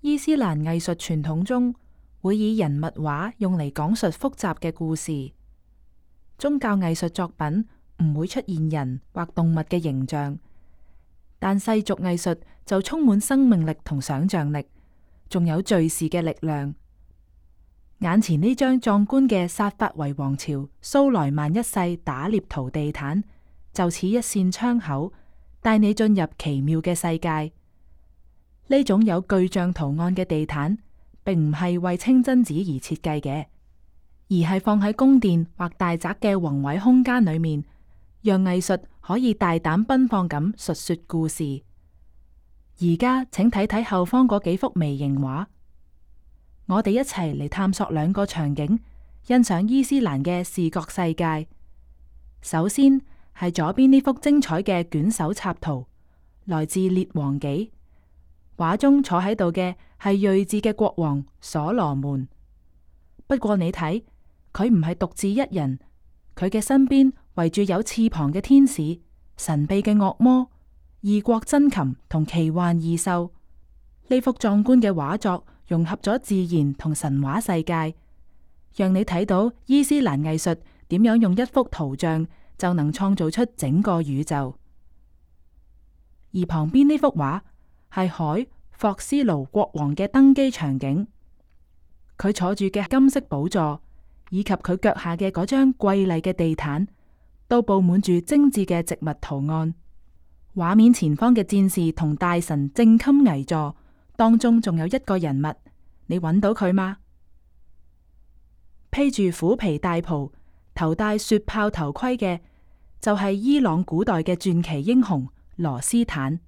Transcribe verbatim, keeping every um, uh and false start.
伊斯蘭藝術傳統中會以人物畫用嚟講述複雜嘅故事。宗教藝術作品唔會出現人或動物嘅形象，但世俗藝術就充滿生命力同想象力，仲有敘事嘅力量。眼前呢張壯觀嘅薩法維王朝蘇萊曼一世打獵圖地毯，就似一扇窗口，帶你進入奇妙嘅世界。呢種有巨象圖案嘅地毯，並唔係為清真寺而設計嘅，而係放喺宮殿或大宅嘅宏偉空間裏面，讓藝術可以大膽奔放咁述說故事。而家請睇睇後方嗰幾幅微型畫，我哋一齊嚟探索兩個場景，欣賞伊斯蘭嘅視覺世界。首先係左邊呢幅精彩嘅卷首插圖，來自《列王紀》。畫中坐喺度嘅係睿智嘅國王所羅門。不過你睇，佢唔係獨自一人，佢嘅身邊圍住有翅膀嘅天使、神秘嘅惡魔、異國珍禽同奇幻異獸。呢幅壯觀嘅畫作融合咗自然同神話世界，讓你睇到伊斯蘭藝術點樣用一幅圖像就能創造出整個宇宙。而旁邊呢幅畫係海霍斯盧國王嘅登基場景，佢坐住嘅金色寶座，以及佢腳下嘅嗰張瑰麗嘅地毯，都布滿住精緻嘅植物圖案。畫面前方嘅戰士同大臣正襟危坐，當中仲有一個人物，你揾到佢嗎？披住虎皮大袍、頭戴雪豹頭盔嘅，就係伊朗古代嘅傳奇英雄羅斯坦。